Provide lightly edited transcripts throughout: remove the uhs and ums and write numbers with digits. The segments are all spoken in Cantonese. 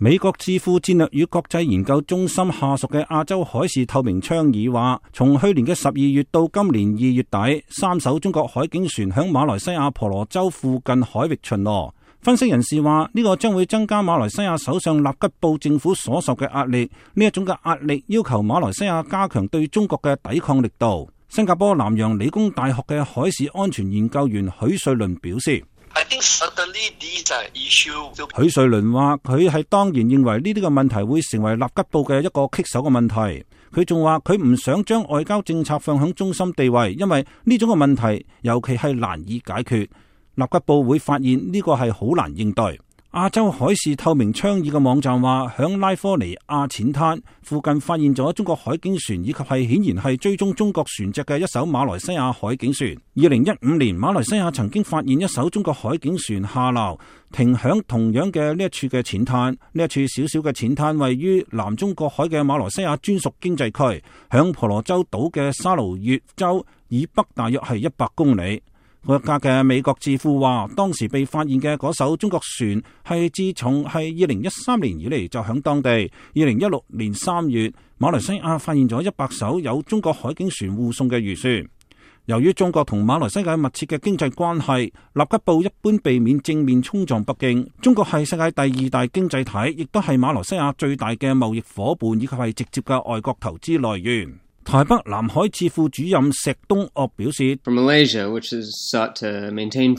美國智庫戰略與國際研究中心下屬嘅亞洲海事透明倡議話，從去年嘅12月到今年2月底，3艘中國海警船響馬來西亞婆羅洲附近海域巡邏。分析人士話，呢個將會增加馬來西亞首相納吉布政府所受嘅壓力，呢一種嘅壓力要求馬來西亞加強對中國嘅抵抗力度。新加坡南洋理工大學嘅海事安全研究員許瑞麟表示，許瑞麟話佢係當然認為呢啲嘅問題會成為納吉布嘅一個棘手嘅問題。佢仲話佢唔想將外交政策放響中心地位，因為呢種嘅問題尤其係難以解決。納吉布會發現呢個係好難應對。亞洲海事透明倡議嘅網站話，響拉科尼亞淺灘附近發現咗中國海警船，以及係顯然係追蹤中國船隻嘅一艘馬來西亞海警船。2015年，馬來西亞曾經發現一艘中國海警船下撈，停響同樣嘅呢一處嘅淺灘。呢一處小小嘅淺灘位於南中國海嘅馬來西亞專屬經濟區，響婆羅洲島嘅沙勞越州以北大約係100公里。國家嘅美國智庫話，當時被發現嘅嗰艘中國船係自從係2013年以嚟就響當地。2016年3月，馬來西亞發現咗100艘有中國海警船護送嘅漁船。由於中國同馬來西亞密切嘅經濟關係，納吉布一般避免正面衝撞北京。中國係世界第2大經濟體，亦都係馬來西亞最大嘅貿易夥伴，以及係直接嘅外國投資來源。台北南海智庫主任石東岳表示，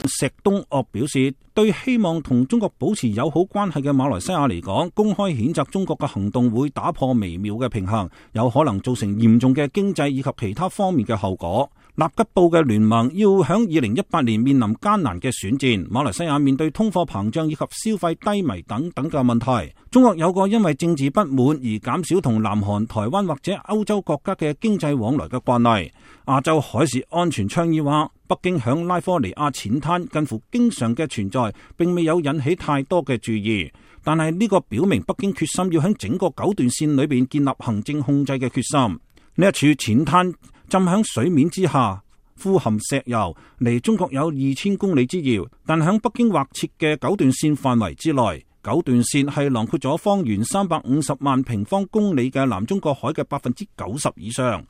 石東岳表示，對希望同中國保持友好關係嘅馬來西亞嚟講，公開譴責中國嘅行動會打破微妙嘅平衡，有可能造成嚴重嘅經濟以及其他方面嘅後果。納吉布嘅聯盟要響2018年面臨艱難嘅選戰，馬來西亞面對通貨膨脹以及消費低迷等等嘅問題。中國有個因為政治不滿而減少同南韓、台灣或者歐洲國家嘅經濟往來嘅慣例。亞洲海事安全倡議話，北京響拉科尼亞淺灘近乎經常嘅存在，並未有引起太多嘅注意。但係呢個表明北京決心要響整個9段線裏邊建立行政控制嘅決心。呢一處淺灘浸響水面之下，富含石油，離中國有2000公里之遙，但響北京劃設嘅9段線範圍之內。9段線係囊括咗方圓350萬平方公里嘅南中國海嘅90%以上。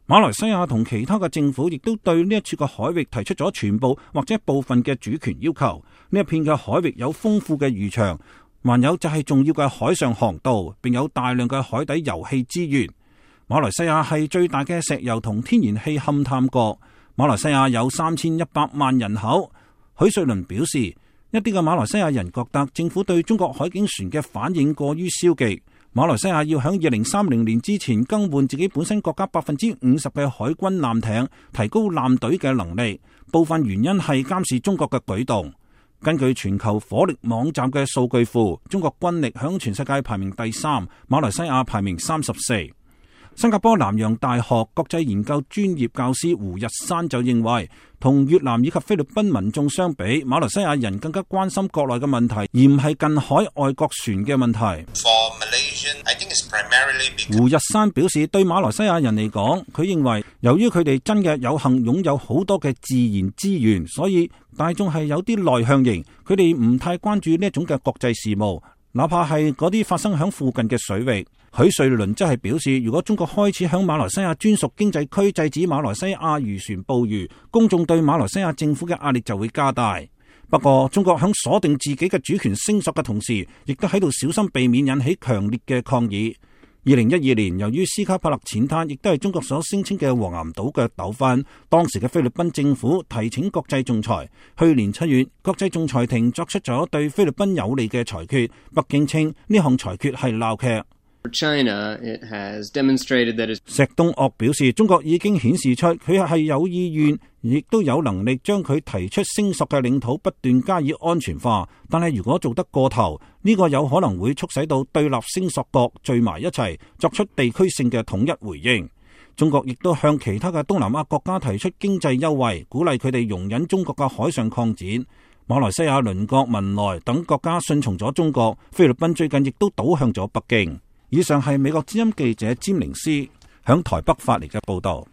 馬來西亞同其他嘅政府亦都對呢一處嘅海域提出咗全部或者部分嘅主權要求。呢一片嘅海域有豐富嘅漁場，還有就係重要嘅海上航道，並有大量嘅海底油氣資源。馬來西亞係最大嘅石油同天然氣勘探國。馬來西亞有3100萬人口。許瑞麟表示，一啲嘅馬來西亞人覺得政府對中國海警船嘅反應過於消極。馬來西亞要喺2030年之前更換自己本身國家50%嘅海軍艦艇，提高艦隊嘅能力。部分原因係監視中國嘅舉動。根據全球火力網站嘅數據庫，中國軍力響全世界排名第3，馬來西亞排名34。新加坡南洋大學國際研究專業教師胡日山就認為，同越南以及菲律賓民眾相比，馬來西亞人更加關心國內嘅問題，而唔係近海外國船嘅問題。胡日山表示，對馬來西亞人嚟講，佢認為由於佢哋真嘅有幸擁有好多嘅自然資源，所以大眾係有啲內向型，佢哋唔太關注呢一種嘅國際事務，哪怕係嗰啲發生響附近嘅水域。許瑞麟則係表示，如果中國開始響馬來西亞專屬經濟區制止馬來西亞漁船捕魚，公眾對馬來西亞政府嘅壓力就會加大。不過，中國響鎖定自己嘅主權聲索嘅同時，亦都喺度小心避免引起強烈嘅抗議。2012年，由於斯卡帕勒淺灘亦都係中國所聲稱嘅黃岩島嘅糾紛，當時嘅菲律賓政府提請國際仲裁。去年7月，國際仲裁庭作出咗對菲律賓有利嘅裁決，北京稱呢項裁決係鬧劇。China, it has demonstrated that 石東岳表示，中國已經顯示出佢係有意願，亦都有能力將佢提出聲索嘅領土不斷加以安全化。但係如果做得過頭，呢個有可能會促使到對立聲索國聚埋一齊，作出地區性嘅統一回應。中國亦都向其他嘅東南亞國家提出經濟優惠，鼓勵佢哋容忍中國嘅海上擴展。馬來西亞鄰國文萊等國家順從咗中國，菲律賓最近亦都倒向咗北京。以上係美國之音記者詹寧斯響台北發嚟嘅報道。